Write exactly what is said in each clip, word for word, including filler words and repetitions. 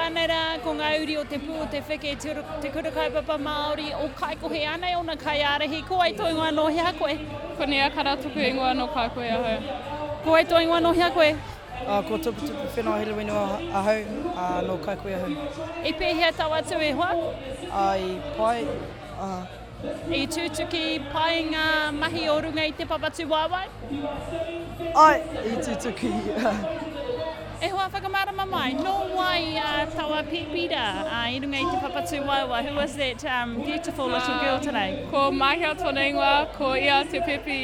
Anei rā, ko ngā uri o Te Pū o Te Wheke, te, te kura kaupapa Māori o Kaikohe, anei ōna kaiārahi. Ko wai tō ingoa nō hea koe? Ko Nia Kara toku ingoa nō Kaikohe ahau. Ko wai tō ingoa nō hea koe? Uh, ko Tuputupu Whenua Helewenua ahau, uh, nō Kaikohe ahau. I pēhea tau atu e hoa? Uh, i pai, uh, I tutuki pai ngā mahi o runga i te papa tūwaewae? Ai, i tutuki. E hoa whakamārama mai, nō wai uh, taua pēpi rā uh, i runga i te papa tūwaewae? Who was that um, beautiful little girl today? Ko Mahia tōna ingoa, ko ia te pepi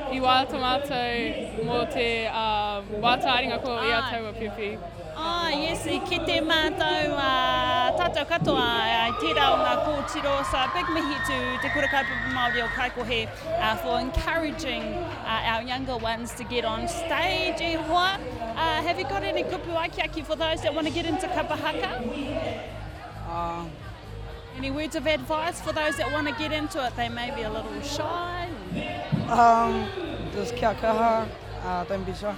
i waiata mātou mō te um, wātāringa ko ia Ai. taua pepi. Ah, yes, i kite mātou, uh, tātou katoa, uh, tērā o ngā kōtiro. So a big mihi to Te Kura Kaupapa Māori o Kaikohe uh, for encouraging uh, our younger ones to get on stage. E hoa, uh, have you got any kupu akiaki for those that want to get into kapa haka? Uh, Any words of advice for those that want to get into it? They may be a little shy. um, just kia kaha, uh, don't be shy.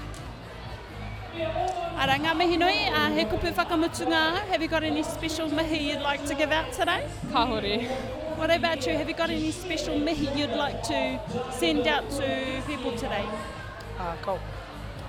Ara, ngā mihi nui, uh, he kupu whakamutunga. Have you got any special mihi you'd like to give out today? Kāhore. What about you? Have you got any special mihi you'd like to send out to people today? Uh, cool.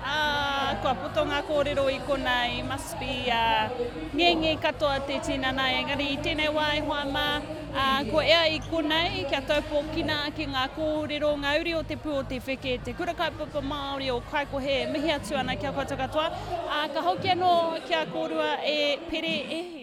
Ah, kua poto ngā kōrero i konei, must be uh, ngenge katoa te tinana, engari i tēnei wā e hoa mā, uh, ko ea i konei, kia taupokina ki ngā kōrero, ngā uri o te pū o te wheke, te kura kaupapa Māori o Kaikohe, mihi atu ana kia koutou katoa. Uh, ka hoki anō kia kōrua e pere e